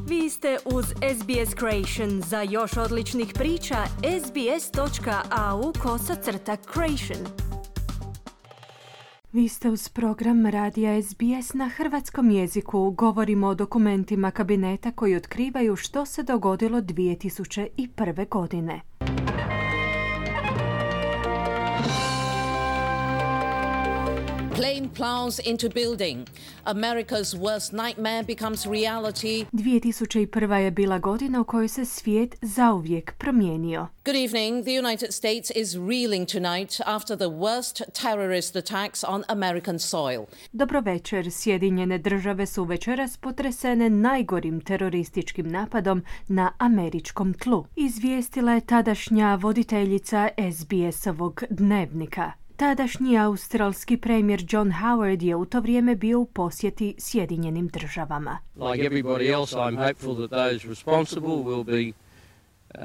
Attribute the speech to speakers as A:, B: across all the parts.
A: Vi ste uz SBS Creation. Za još odličnih priča, sbs.au/creation. Vi ste uz program radija SBS na hrvatskom jeziku. Govorimo o dokumentima kabineta koji otkrivaju što se dogodilo 2001. godine.
B: Plane plows into building. America's worst nightmare becomes reality.
A: 2001. je bila godina u kojoj se svijet zauvijek promijenio.
B: Good evening. The United States is reeling tonight after the worst terrorist attacks on American soil.
A: Dobro večer. Sjedinjene države su večeras potresene najgorim terorističkim napadom na američkom tlu. Izvijestila je tadašnja voditeljica SBS-ovog dnevnika. Tadašnji australski premijer John Howard je u to vrijeme bio u posjeti Sjedinjenim državama.
C: Like everybody else, I'm hopeful that those responsible will be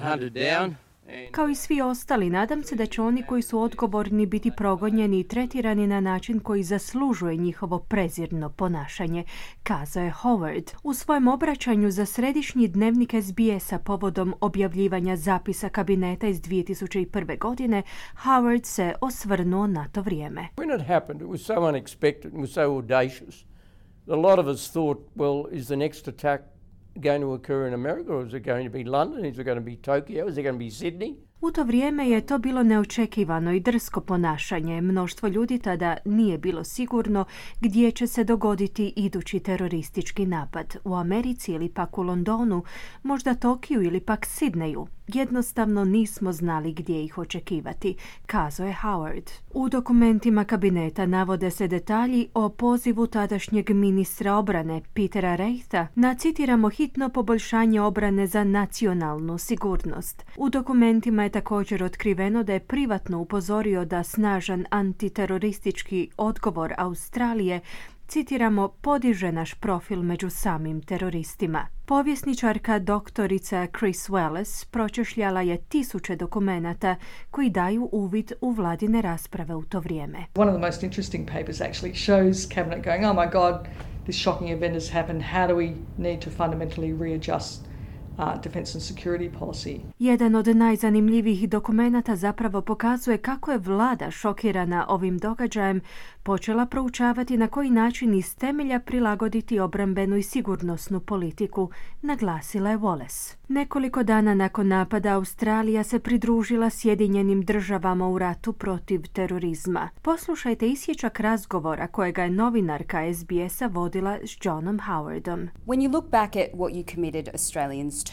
C: hunted down.
A: Kao i svi ostali, nadam se da će oni koji su odgovorni biti progonjeni i tretirani na način koji zaslužuje njihovo prezirno ponašanje, kazao je Howard. U svojem obraćanju za središnji dnevnik SBS-a povodom objavljivanja zapisa kabineta iz 2001. godine, Howard se osvrnuo na to vrijeme.
D: When it happened, it was so unexpected and was so audacious. A lot of us thought, well, is the next attack going to occur in America, or is it going to be London? Is it going to be Tokyo? Is it going to be Sydney?
A: U to vrijeme je to bilo neočekivano i drsko ponašanje. Mnoštvo ljudi tada nije bilo sigurno gdje će se dogoditi idući teroristički napad. U Americi ili pak u Londonu, možda Tokiju ili pak Sidneju. Jednostavno nismo znali gdje ih očekivati, kazao je Howard. U dokumentima kabineta navode se detalji o pozivu tadašnjeg ministra obrane Petera Reitha na, citiramo, hitno poboljšanje obrane za nacionalnu sigurnost. U dokumentima je također otkriveno da je privatno upozorio da snažan antiteroristički odgovor Australije, citiramo, podiže naš profil među samim teroristima. Povjesničarka doktorica Chris Wallace pročešljala je tisuće dokumenata koji daju uvid u vladine rasprave u to vrijeme.
E: One of the most interesting papers actually shows cabinet going, oh my God, this shocking event has happened. How do we need to fundamentally readjust defense and security policy?
A: Jedan od najzanimljivijih dokumenata zapravo pokazuje kako je vlada šokirana ovim događajem počela proučavati na koji način iz temelja prilagoditi obrambenu i sigurnosnu politiku, naglasila je Wallace. Nekoliko dana nakon napada Australija se pridružila Sjedinjenim državama u ratu protiv terorizma. Poslušajte isječak razgovora kojega je novinarka SBS-a vodila s Johnom Howardom.
F: When you look back at what you committed Australians to,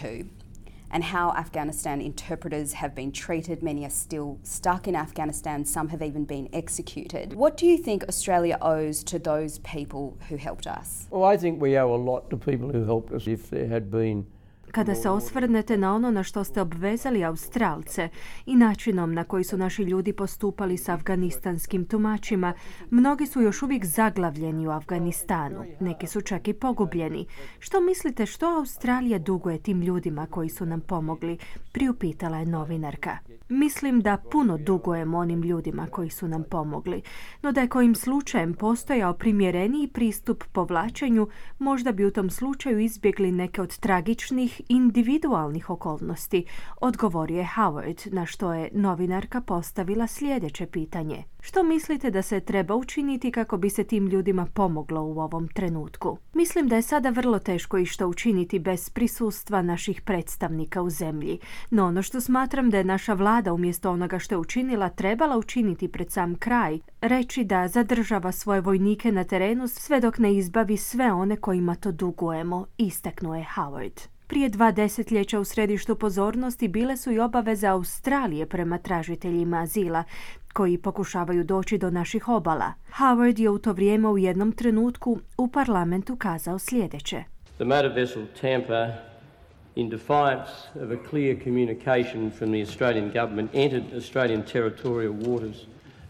F: and how Afghanistan interpreters have been treated. Many are still stuck in Afghanistan. Some have even been executed. What do you think Australia owes to those people who helped us?
D: Well, I think we owe a lot to people who helped us. If there had been
A: Kada se osvrnete na ono na što ste obvezali Australce i načinom na koji su naši ljudi postupali s afganistanskim tumačima, mnogi su još uvijek zaglavljeni u Afganistanu. Neki su čak i pogubljeni. Što mislite, što Australija duguje tim ljudima koji su nam pomogli? Priupitala je novinarka. Mislim da puno dugujemo onim ljudima koji su nam pomogli, no da je kojim slučajem postojao primjereniji pristup povlačenju, možda bi u tom slučaju izbjegli neke od tragičnih individualnih okolnosti, odgovorio je Howard, na što je novinarka postavila sljedeće pitanje. Što mislite da se treba učiniti kako bi se tim ljudima pomoglo u ovom trenutku? Mislim da je sada vrlo teško išta učiniti bez prisustva naših predstavnika u zemlji, no ono što smatram da je naša vlada umjesto onoga što je učinila trebala učiniti pred sam kraj, reći da zadržava svoje vojnike na terenu sve dok ne izbavi sve one kojima to dugujemo, istaknuo je Howard. Prije 2 desetljeća u središtu pozornosti bile su i obaveze Australije prema tražiteljima azila, koji pokušavaju doći do naših obala. Howard je u to vrijeme u jednom trenutku u parlamentu kazao sljedeće.
C: The motor vessel Tampa, in defiance of a clear communication from the Australian government, entered Australian territorial waters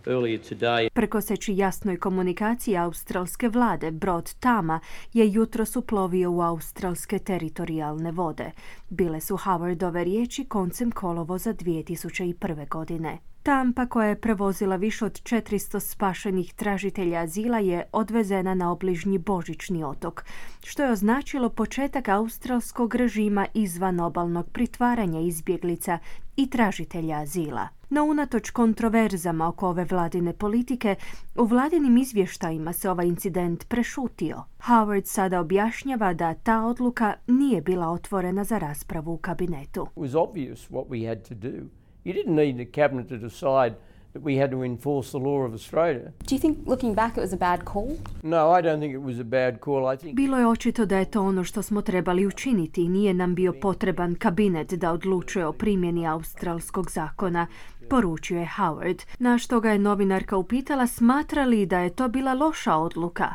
C: earlier today.
A: Prekoseći jasnoj komunikaciji australske vlade, brod Tama je jutros uplovio u australske teritorijalne vode. Bile su Howardove riječi koncem kolovoza 2001. godine. Tampa, koja je prevozila više od 400 spašenih tražitelja azila, je odvezena na obližnji Božićni otok, što je označilo početak australskog režima izvan obalnog pritvaranja izbjeglica i tražitelja azila. No unatoč kontroverzama oko ove vladine politike, u vladinim izvještajima se ovaj incident prešutio. Howard sada objašnjava da ta odluka nije bila otvorena za raspravu u kabinetu.
D: It was obvious what we had to do. You didn't need the cabinet to decide that we had to enforce the law of Australia.
F: Do you think, looking back, it was a bad call?
D: No, I don't think it was a bad call. I think
A: Bilo je očito da je to ono što smo trebali učiniti i nije nam bio potreban kabinet da odlučuje o primjeni australskog zakona, poručio je Howard, na što ga je novinarka upitala smatra li da je to bila loša odluka.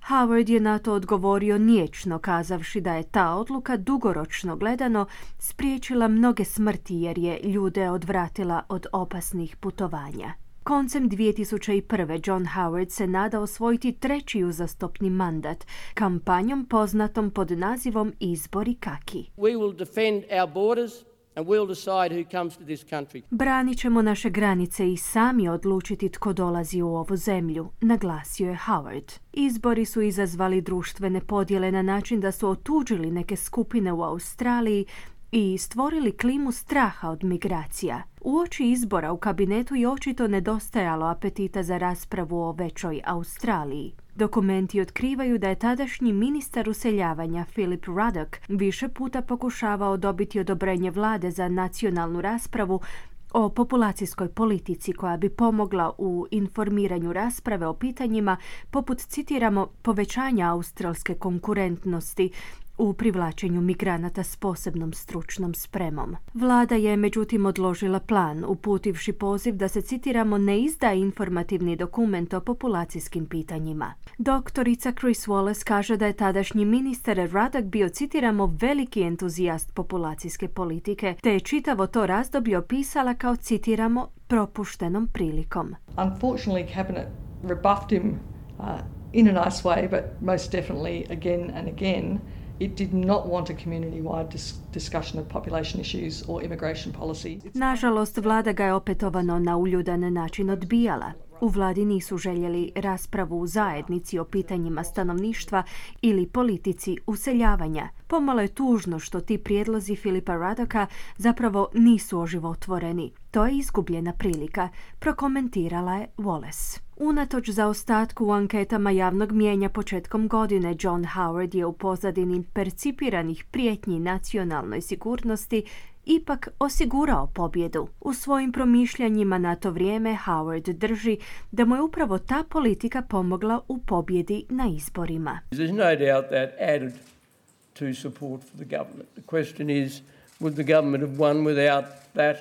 A: Howard je na to odgovorio niječno, kazavši da je ta odluka dugoročno gledano spriječila mnoge smrti jer je ljude odvratila od opasnih putovanja. Koncem 2001. John Howard se nada osvojiti treći uzastopni mandat, kampanjom poznatom pod nazivom Izbori kaki.
D: we will defend our borders and we'll decide who comes to this country.
A: Branit ćemo naše granice i sami odlučiti tko dolazi u ovu zemlju, naglasio je Howard. Izbori su izazvali društvene podjele na način da su otuđili neke skupine u Australiji i stvorili klimu straha od migracija. Uoči izbora u kabinetu je očito nedostajalo apetita za raspravu o većoj Australiji. Dokumenti otkrivaju da je tadašnji ministar useljavanja Philip Ruddock više puta pokušavao dobiti odobrenje vlade za nacionalnu raspravu o populacijskoj politici koja bi pomogla u informiranju rasprave o pitanjima poput, citiramo, povećanja australske konkurentnosti u privlačenju migranata s posebnom stručnom spremom. Vlada je međutim odložila plan, uputivši poziv da se, citiramo, ne izda informativni dokument o populacijskim pitanjima. Doktorica Chris Wallace kaže da je tadašnji ministar Ruddock bio, citiramo, veliki entuzijast populacijske politike, te je čitavo to razdoblje opisala kao, citiramo, propuštenom prilikom.
E: Unfortunately, Cabinet rebuffed him in a nice way, but most definitely again and again. It did not want a community-wide discussion of population issues or immigration policy.
A: Nažalost, vlada ga je opetovano na uljudan način odbijala. U vladi nisu željeli raspravu u zajednici o pitanjima stanovništva ili politici useljavanja. Pomalo je tužno što ti prijedlozi Philipa Ruddocka zapravo nisu oživotvoreni. To je izgubljena prilika, prokomentirala je Wallace. Unatoč zaostatku u anketama javnog mijenja početkom godine, John Howard je u pozadini percipiranih prijetnji nacionalnoj sigurnosti ipak osigurao pobjedu. U svojim promišljanjima na to vrijeme Howard drži da mu je upravo ta politika pomogla u pobjedi na izborima.
D: There's no doubt that added to support for the government. The question is, would the government have won without that?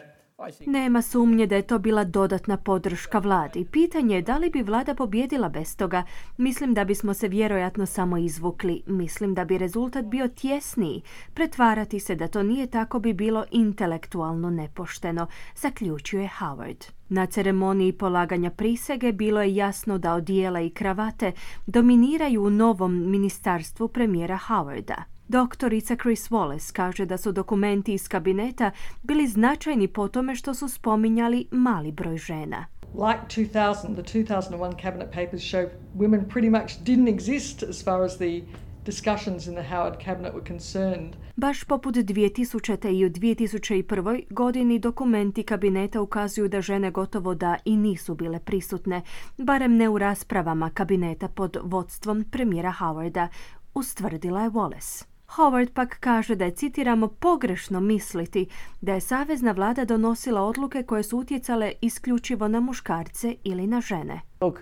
A: Nema sumnje da je to bila dodatna podrška vladi. Pitanje je da li bi vlada pobjedila bez toga. Mislim da bismo se vjerojatno samo izvukli. Mislim da bi rezultat bio tjesniji. Pretvarati se da to nije tako bi bilo intelektualno nepošteno, zaključuje Howard. Na ceremoniji polaganja prisege bilo je jasno da odijela i kravate dominiraju u novom ministarstvu premijera Howarda. Doktorica Chris Wallace kaže da su dokumenti iz kabineta bili značajni po tome što su spominjali mali broj žena.
E: Like 2000, the 2001 cabinet papers show women pretty much didn't exist as far as the discussions in the Howard cabinet were concerned.
A: Baš poput 2000. i u 2001. godini dokumenti kabineta ukazuju da žene gotovo da i nisu bile prisutne, barem ne u raspravama kabineta pod vodstvom premijera Howarda, ustvrdila je Wallace. Howard pak kaže da je, citiramo, pogrešno misliti da je savezna vlada donosila odluke koje su utjecale isključivo na muškarce ili na žene.
D: Look,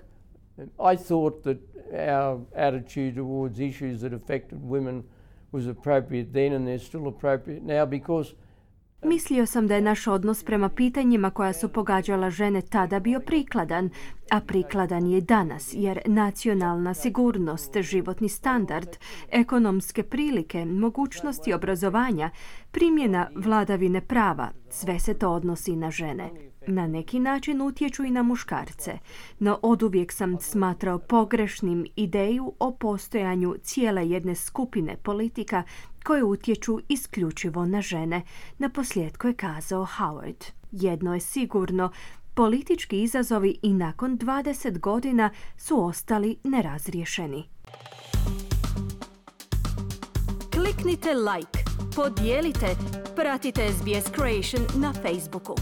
D: I thought that our attitude towards issues that affected women was appropriate then and they're still appropriate now because
A: Mislio sam da je naš odnos prema pitanjima koja su pogađala žene tada bio prikladan, a prikladan je i danas, jer nacionalna sigurnost, životni standard, ekonomske prilike, mogućnosti obrazovanja, primjena vladavine prava, sve se to odnosi na žene. Na neki način utječu i na muškarce, no oduvijek sam smatrao pogrešnim ideju o postojanju cijele jedne skupine politika koje utječu isključivo na žene, naposljetku je kazao Howard. Jedno je sigurno, politički izazovi i nakon 20 godina su ostali nerazriješeni. Kliknite like, podijelite, pratite SBS Creation na Facebooku.